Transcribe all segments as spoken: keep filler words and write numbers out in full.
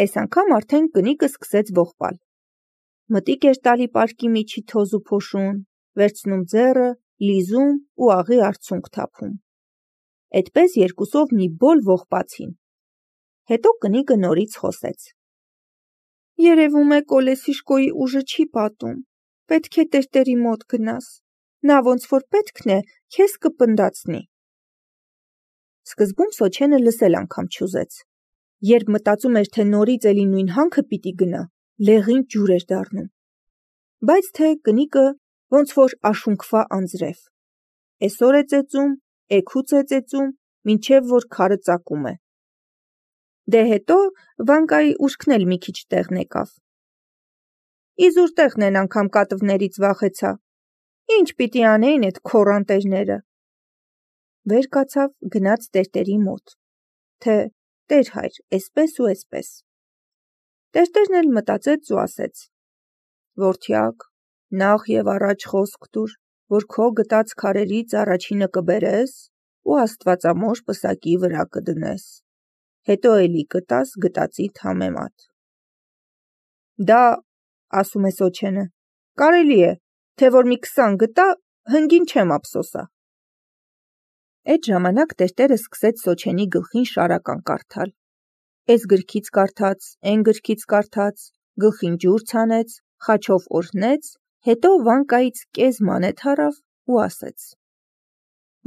Էս անգամ արդեն կնիկը սկսեց ողբալ։ Մտիկ էր տալի պարկի միջի թոզ ու փոշուն, վերցնում ձեռը, լիզում ու աղի արցունք թափում։ Էդպես երկուսով մի բոլ ողբացին։ Հետո կնիկը նորից խոսեց. Երևում է Կոլեսիշկոյի ուժը չի պատում, պետք է տերտերի մոտ գնաս, նա ոնց որ պետքն է, քեզ կպնդացնի։ Սկզբում Սոչենը լսել անգամ չուզեց, երբ մտածում էր, թե նորից էլի նույն հանքը պիտի գնա, լեղին ջուր էր դառնում, բայց թե կնիկը ոնց որ աշունքվա անձրև, էսօր է ծեծում, էգուց է ծեծում, մինչև որ քարը ծակում է։ Դե հետո Վանկայի ուշքն էլ մի քիչ տեղն եկավ։ Իզուր տեղն անգամ կատվներից վախեցա, ինչ պիտի անեին էդ քոռանտերները։ Վեր կացավ, գնաց տերտերի մոտ, թե տեր հայր, էսպես ու էսպես։ Տերտերն էլ մտածեց ու ասեց. Որդյակ, նախ եւ առաջ խոսք տուր, որ քո գտած քարերից առաջինը կբերես ու աստվածամոր պսակի վրա կդնես, հետո էլի կտաս գտածիդ համեմատ։ Դա, ասում է Սոչենը, կարելի է, թե որ մի քսան գտա, հնգին չեմ ափսոսա։ Այդ ժամանակ տերտերը սկսեց Սոչենի գլխին շարական կարդալ։ Էս գրքից կարդաց, էն գրքից կարդաց, գլխին ջուր ցանեց, խաչով օրհնեց, հետո Վանկայից կես մանեթ առավ ու ասեց.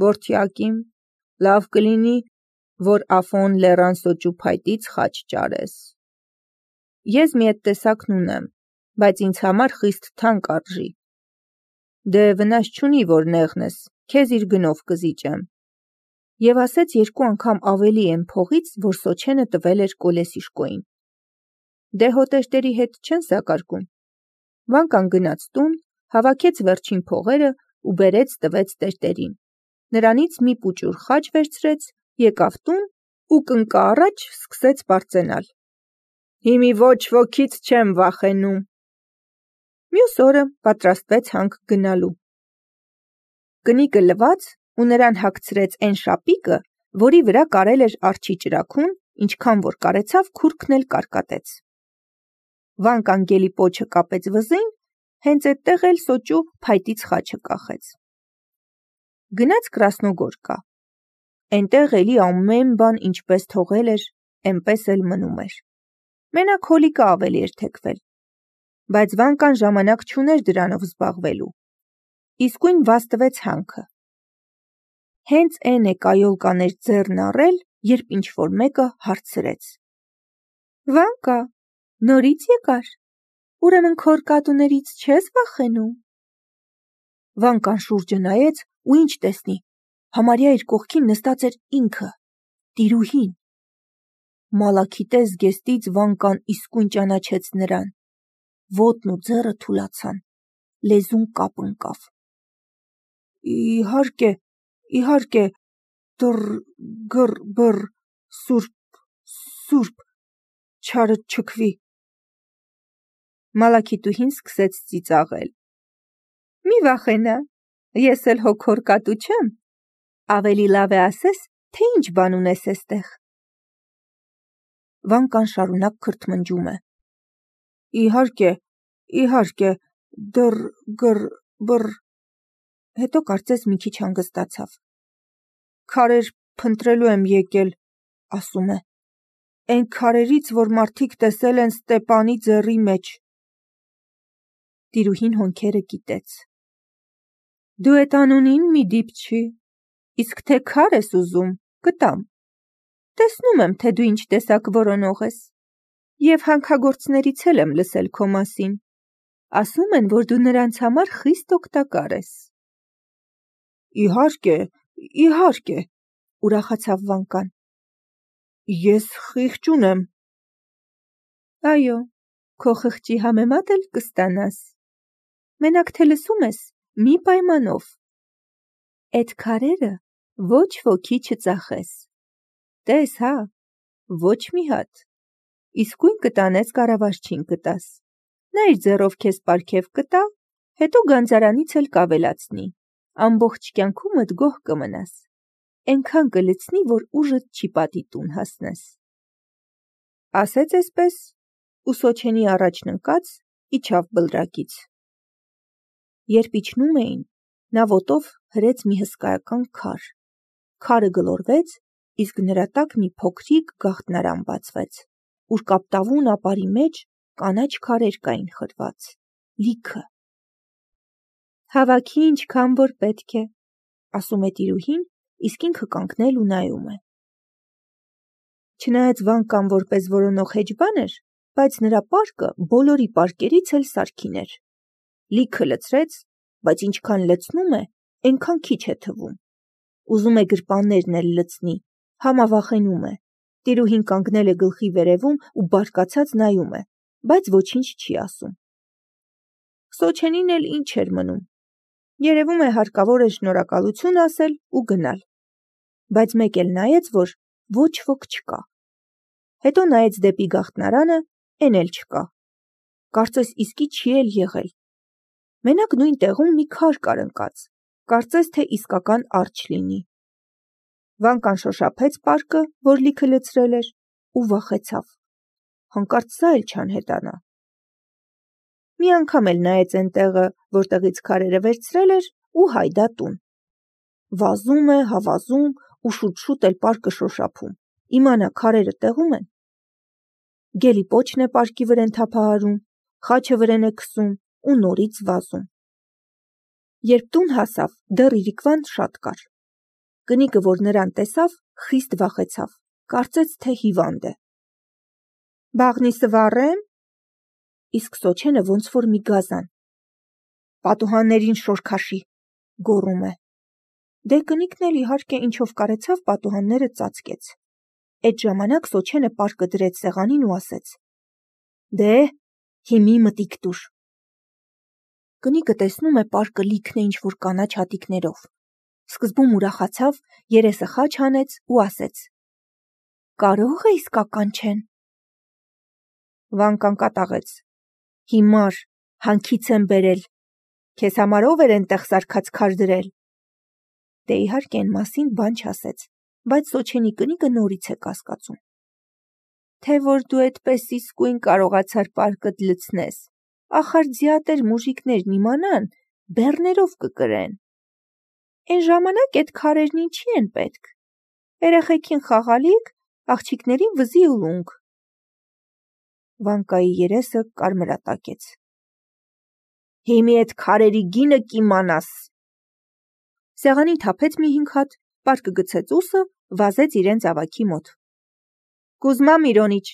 Որդյակ իմ, լավ կլինի, որ Աֆոն լեռան սոճու փայտից խաչ ճարես։ Ես մի էդ տեսակն ունեմ, բայց ինձ համար խիստ թանկ արժի։ Դե վնաս չունի, որ նեղնես, քեզ իր գնով կզիջեմ։ Եվ ասեց երկու անգամ ավելի են փողից, որ Սոչենը տվել էր Կոլեսիշկոյին։ Դե հո տերտերի հետ չեն սակարկում։ Վանկան գնաց տուն, հավաքեց վերջին փողերը ու բերեց տվեց տերտերին։ Նրանից մի պուճուր խաչ վերցրեց, եկավ տուն ու կնկա առաջ սկսեց բարձենալ։ Հիմի ոչ ոքից չեմ վախենում։ Մյուս օրը պատրաստվեց հանք գնալու։ Կնիկը լվաց ու նրան հագցրեց այն շապիկը, որի վրա կարել էր արջի ճրագուն, ինչքան որ կարեցավ քուրքն էլ կարկատեց։ Վանկան գելի պոչը կապեց վզին, հենց այդտեղ էլ սոճու փայտից խաչը կախեց։ Գնաց Կրասնոգորկա։ Այնտեղ էլի ամեն բան ինչպես թողել էր, էնպես էլ մնում էր։ Մենակ հոլիկը ավելի էր թեքվել։ Բայց Վանկան ժամանակ չուներ դրանով զբաղվելու։ Իսկույն վաստվեց հանքը։ Հենց էն է կայոլ կաներ ձեռն առել, երբ ինչ-որ մեկը հարցրեց. Վանկա, նորից եկար, ուրեմն քոր կատուներից չես վախենում։ Վանկան շուրջը նայեց ու ինչ տեսնի, համարյա իր կողքին նստած էր ինքը, տիրուհին։ Մալաքիտե զգեստից Վանկան իսկույն ճանաչեց նրան, ոտն ու ձեռը թուլացան, լեզուն կապ ընկավ։ Իհարկե, իհարկե, դռ, գռ, բռ, սուրբ, սուրբ, չարը չքվի։ Մալաքիտուհին սկսեց ծիծաղել։ Մի վախենա, ես էլ հո քոր կատու չեմ, ավելի լավ է ասես, թե ինչ բան ունես էստեղ։ Վանկան շարունակ քրթմնջում է։ Իհարկե, իհարկե, դռ, գռ, բռ, հետո կարծես մի քիչ հանգստացավ։ Քարեր փնտրելու եմ եկել, ասում է, այն քարերից, որ մարդիկ տեսել են Ստեպանի ձեռի մեջ։ Տիրուհին հոնքերը կիտեց։ Դու էդ անունին մի դիպչի, իսկ թե քար ես ուզում, կտամ։ Տեսնում եմ, թե դու ինչ տեսակ որոնող ես, և հանքագործներից էլ եմ լսել քո մասին, ասում են, որ դու նրանց համար խիստ օգտակար ես։ Իհարկե, իհարկե, ուրախացավ Վանկան։ Ես խիղճ ունեմ։ Այո, քո խղճի համեմատ էլ կստանաս։ Մենակ թե լսում ես, մի պայմանով։ Էդ քարերը ոչ ոքի չծախես։ Տես հա, ոչ մի հատ։ Իսկույն կտանես կառավարչին կտաս։ Նա իր ձեռով քեզ պարգև կտա, հետո գանձարանից էլ կավելացնի։ Ամբողջ կյանքումդ գոհ կմնաս։ Էնքան կլցնի, որ ուժդ չի պատի տուն հասնես։ ասեց էսպես ու Սոչենի առաջն ընկած իջավ բլրակից։ Երբ իջնում էին, նա ոտով հրեց մի հսկայական քար։ Քարը գլորվեց, իսկ նրա տակ մի փոքրիկ գաղտնարան բացվեց, ուր կապտավուն ապարի մեջ կանաչ քարեր կային խրված, լիքը։ Հավաքի ինչքան որ պետք է, ասում է տիրուհին, իսկ ինքը կանգնել ու նայում է։ Չնայած Վանկան որպես որոնող հեջբան էր, բայց նրա պարկը բոլորի պարկերից էլ սարքին էր։ Լիքը լցրեց, բայց ինչքան լցնում է, այնքան քիչ է թվում։ Ուզում է գրպաններն էլ լցնի, համավախենում է։ Տիրուհին կանգնել է գլխի վերևում ու բարկացած նայում է, բայց ոչինչ չի ասում։ Սոչենին էլ ինչ էր մնում։ Երևում է հարկավոր է շնորհակալություն ասել ու գնալ։ Բայց մեկ էլ նայեց, որ ոչ ոք չկա։ Հետո նայեց դեպի գաղտնարանը, էն էլ չկա։ Կարծես իսկի չի էլ եղել։ Մենակ նույն տեղում մի քար կար ընկած, կարծես թե իսկական արջ լինի։ Վանկան շոշափեց պարկը, որ լիքը լցրել էր, ու վախեցավ։ Հանկարծ սա էլ չանհետանա։ Մի անգամ էլ նայեց այն տեղը, որտեղից քարերը վերցրել էր, ու հայդա տուն։ Վազում է, հավազում ու շուտ-շուտ էլ պարկը շոշափում, իմանա քարերը տեղում են։ Գելի պոչն է պարկի վրեն թափահարում, խաչը վրեն է քսում ու նորից վազում։ Երբ տուն հասավ, դեռ իրիկվան շատ կար։ Կնիկը, որ նրան տեսավ, խիստ վախեցավ, կարծեց, թե հիվանդ է։ Բաղնի սվառե՞մ։ Իսկ Սոչենը ոնց որ մի գազան։ Պատուհաններին շոր քաշի, գոռում է։ Դե կնիկն էլ իհարկե ինչով կարեցավ պատուհանները ծածկեց։ Այդ ժամանակ Սոչենը պարկը դրեց սեղանին ու ասեց. Դե, հիմի մտիկ տուր։ Կնիկը տեսնում է պարկը լիքն է ինչ-որ կանաչ հատիկներով։ Սկզբում ուրախացավ, երեսը խաչ հանեց ու ասեց. Կարո՞ղ է իսկական չեն։ Վանկան կատաղեց. Հիմար, հանքից եմ բերել։ Քեզ համար ով էր այնտեղ սարքած քար դրել։ Դե իհարկե այն մասին բան չասեց, բայց Սոչենի կնիկը նորից է կասկածում։ Թե որ դու այդպես իսկույն կարողացար պարկդ լցնես, ախար ձիատեր մուժիկներն իմանան, բեռներով կկրեն։ Այն ժամանակ այդ քարերն ինչի են պետք։ Երեխեքին խաղալիք, աղջիկներին վզի ու լունգ։ Վանկայի երեսը կարմրատակեց։ Հիմի այդ քարերի գինը կիմանաս։ Սեղանին թափեց մի հինգ հատ, պարկը գցեց ուսը, վազեց իրենց ավագի մոտ։ Կուզմա Միրոնիչ,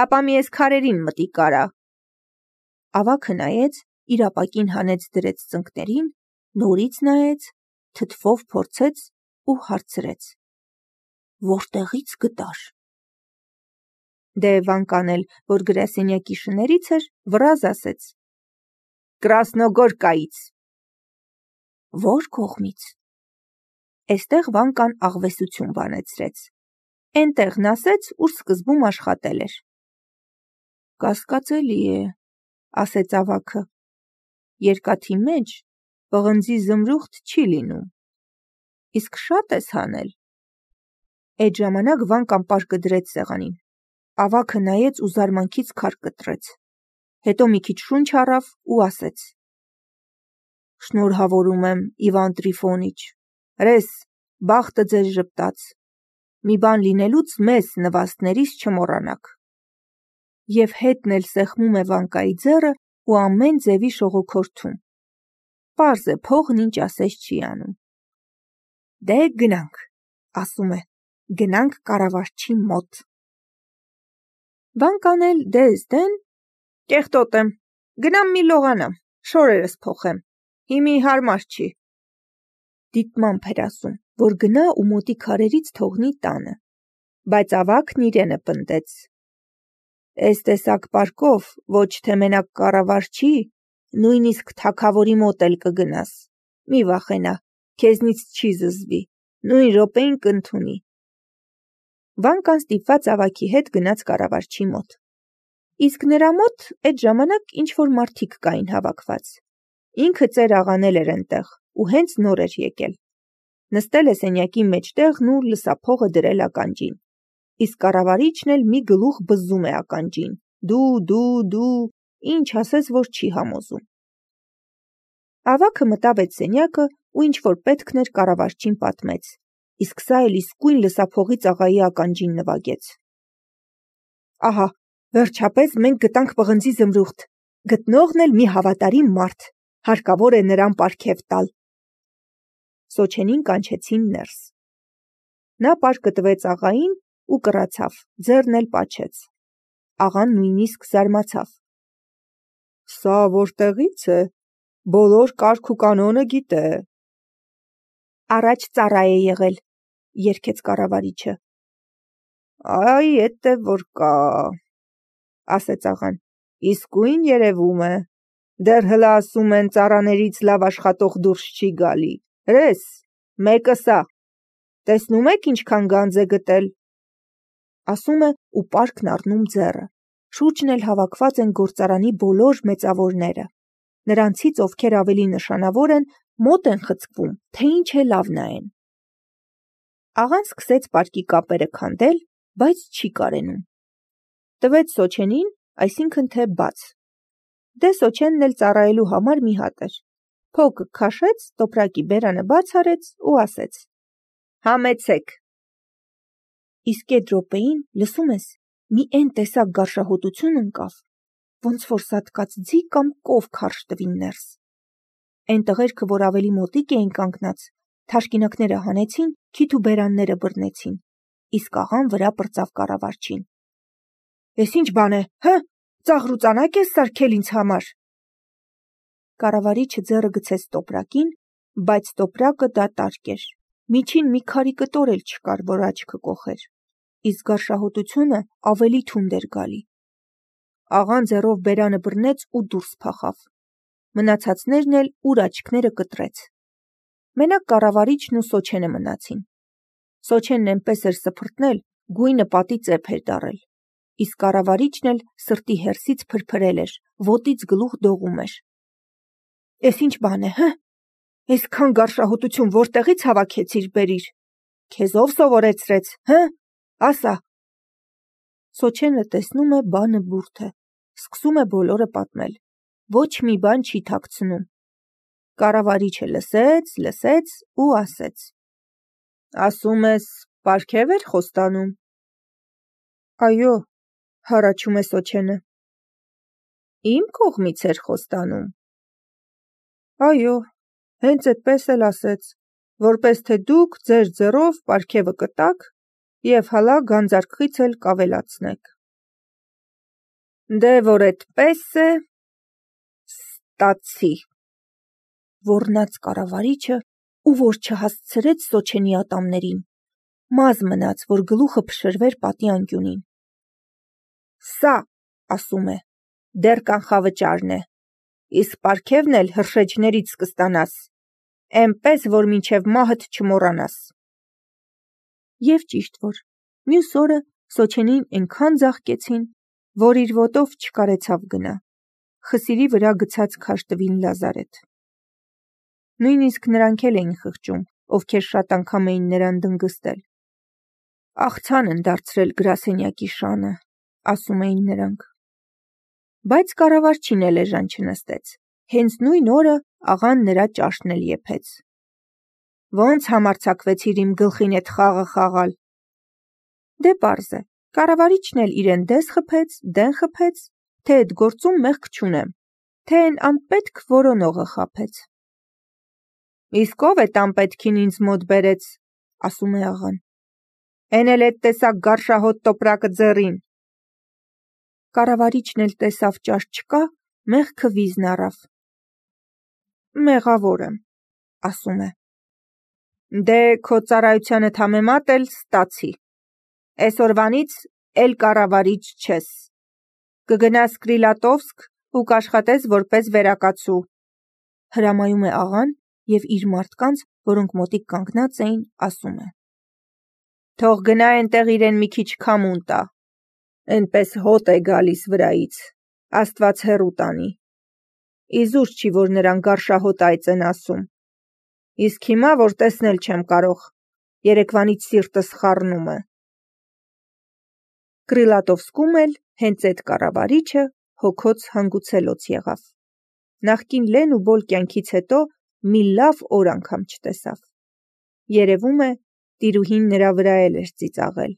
ապա մի էս քարերին մտի կարա։ Ավագը նայեց, իր ապակին հանեց դրեց ծնկներին, նորից նայեց, թթվով փորձեց ու հարցրեց. Որտեղից գտար։ Դե Վանկան էլ, որ գրասենյակի շներից էր, վրազ ասեց. Կրասնոգորկայից։ Որ կողմից։ Էստեղ Վանկան աղվեսություն բանեցրեց։ Էնտեղն ասեց, ուր սկզբում աշխատել էր։ Կասկածելի է, ասեց ավագը։ Երկաթի մեջ պղնձի զմրուխտ չի լինում։ Իսկ շատ ես հանել։ Այդ ժամանակ Վանկան պարկը դրեց սեղանին։ Ավագը նայեց ու զարմանքից քար կտրեց։ Հետո մի քիչ շունչ առավ ու ասեց. Շնորհավորում եմ, Իվան Տրիֆոնիչ, հրես, բախտը ձեզ ժպտաց։ Մի բան լինելուց մեզ նվաստներիս չմոռանաք։ Եվ հետն էլ սեղմում է Վանկայի ձեռը ու ամեն ձևի շողոքորթում։ Պարզ է, փողն ինչ ասես չի անում։ Դե գնանք, ասում է, գնանք կառավարչի մոտ։ Վանկան էլ դես դեն, կեղտոտ եմ, գնամ մի լողանամ, շորերս փոխեմ, հիմի հարմար չի։ Դիտմամբ էր ասում, որ գնա ու մոտի քարերից թողնի տանը, բայց ավագն իրենը պնդեց. Էս տեսակ պարկով ոչ թե մենակ կառավարչի, նույնիսկ թագավորի մոտ էլ կգնաս, մի վախենա, քեզնից չի զզվի, նույն րոպեին կընդունի։ Վանկան ստիպված ավագի հետ գնաց կառավարչի մոտ։ Իսկ նրա մոտ այդ ժամանակ ինչ-որ մարդիկ կային հավաքված։ Ինքը ծեր աղանել էր այնտեղ ու հենց նոր էր եկել։ Նստել է սենյակի մեջտեղն ու լսափողը դրել ականջին։ իսկ կառավարիչն էլ մի գլուխ բզում է ականջին. «Դու, դու, դու», ինչ ասես, որ չի համոզում։ Ավագը մտավ այդ սենյակը ու ինչ-որ պետքն էր կառավարչին պատմեց, իսկ սա էլ իսկույն լսափողի ծաղայի ականջին նվագեց։ Ահա, վերջապես մենք գտանք պղնձի զմրուխտ, գտնողն էլ մի հավատարիմ մարդ, հարկավոր է նրան պարգև տալ։ Սոչենին կանչեցին ներս։ Նա պարկը տվեց աղային ու կռացավ, ձեռն էլ պաչեց։ Աղան նույնիսկ զարմացավ։ Սա որտեղից է, բոլոր կարգ ու կանոնը գիտե։ Առաջ ծառա է եղել, երգեց կառավարիչը։ Այ էդ է որ կա, ասեց աղան, իսկույն երևում է, դեռ հլա ասում են ծառաներից լավ աշխատող դուրս չի գալի, հրես, մեկը սա, տեսնում եք ինչքան գանձ է գտել, ասում է ու պարկն առնում ձեռը, շուրջն էլ հավաքված են գործարանի բոլոր մեծավորները, նրանցից ովքեր ավելի նշանավոր են, մոտ են խցկվում, թե ինչ է լավ նայեն։ Աղան սկսեց պարկի կապերը քանդել, բայց չի կարենում։ Տվեց Սոչենին, այսինքն թե բաց։ Դե Սոչենն էլ ծառայելու համար մի հատ էր։ Փոքը քաշեց, տոպրակի բերանը բաց արեց ու ասեց. Համեցեք։ Իսկ այդ րոպեին, լսում ես, մի էն տեսակ գարշահոտություն ընկավ, ոնց որ սատկած ձի կամ կով քարշ տվին ներս։ Էն տղերքը, որ ավելի մոտիկ էին կանգնած, թաշկինակները հանեցին, քիթ ու բերանները բռնեցին, իսկ աղան վրա պրծավ կառավարչին։ Էս ինչ բան է, հը, ծաղրուծանակ ես սարքել ինձ համար։ Կառավարիչը ձեռը գցեց տոպրակին, բայց տոպրակը դատարկ էր, միջին մի քարի կտոր էլ չկար, որ աչքը կոխեր, իսկ գարշահոտությունը ավելի թունդ էր գալի։ Աղան ձեռով բերանը բռնեց ու դուրս փախավ։ Մնացածներն էլ ուր աչքները կտրեց։ Մենակ կառավարիչն ու Սոչենը մնացին։ Սոչենն այնպես էր սփռտնել, գույնը պատի ծեփ էր դառել, իսկ կառավարիչն էլ սրտի հերսից փրփրել էր, ոտից գլուխ դողում էր։ Էս ինչ բան է, հը, այսքան գարշահոտություն որտեղից հավաքեցիր բերիր, քեզ ով սովորեցրեց, հը, ասա։ Սոչենը տեսնում է բանը բուրդ է, սկսում է բոլորը պատմել, ոչ մի բան չի թաքցնում։ Կառավարիչը լսեց, լսեց ու ասեց. Ասում ես, պարգև էր խոստանում։ Այո, հառաչում է Սոչենը։ Իմ կողմից էր խոստանում։ Այո, հենց այդպես էլ ասեց, որպես թե դուք ձեր ձեռով պարգևը կտաք և հալա գանձարկղից էլ կավելացնեք։ Դե որ այդպես է, ստացի։ Ոռնաց կառավարիչը ու որ չհասցրեց Սոչենի ատամներին, մազ մնաց, որ գլուխը փշրվեր պատի անկյունին։ Սա, ասում է, դեռ կանխավճարն է, իսկ պարգևն էլ հրշեջներից կստանաս, էնպես, որ մինչև մահդ չմոռանաս։ Եվ ճիշտ որ, մյուս օրը Սոչենին այնքան ձաղկեցին, որ իր ոտով չկարեցավ գնա, խսիրի վրա գցած քաշտվին լազարեթ։ Նույնիսկ նրանք էլ էին խղճում, ովքեր շատ անգամ էին նրան դնգստել։ Աղցան են դարձրել գրասենյակի շանը, ասում էին նրանք։ Բայց կառավարչին էլ էժան չնստեց, հենց նույն օրը աղան նրա ճաշն էլ եփեց։ Ոնց համարձակվեցիր իմ գլխին էդ խաղը խաղալ։ Դե պարզ է, կառավարիչն էլ իրեն դես խփեց, դեն խփեց, թե այդ գործում մեղք չունեմ, թե այն անպետք որոնողը խաբեց։ Իսկ ով է տանպետքին ինձ մոտ բերեց, ասում է աղան։ Էն էլ էդ տեսակ գարշահոտ տոպրակը ձեռին։ Կառավարիչն էլ տեսավ ճաշ չկա, մեղքը վիզն առավ։ Մեղավոր եմ, ասում է։ Դե քո ծառայությանդ համեմատ էլ ստացի։ Էսօրվանից էլ կառավարիչ չես։ Կգնաս Կրիլատովսկ ու կաշխատես որպես վերակացու։ Հրամայում է աղան և իր մարդկանց, որոնք մոտիկ կանգնած էին, ասում է. Թող գնա այնտեղ իրեն մի քիչ քամուն տա։ Էնպես հոտ է գալիս վրայից, Աստված հեռու տանի։ Իզուր չի, որ նրան գարշահոտ այծ են ասում։ Իսկ հիմա, որ տեսնել չեմ կարող, երեկվանից սիրտս խառնում է։ Կռիլատովսկում էլ հենց այդ կառավարիչը հոգոց հանգուցելոց եղավ։ Նախկին լեն ու բոլ կյանքից հետո մի լավ օր անգամ չտեսավ։ Երևում է, տիրուհին նրա վրա էլ էր ծիծաղել։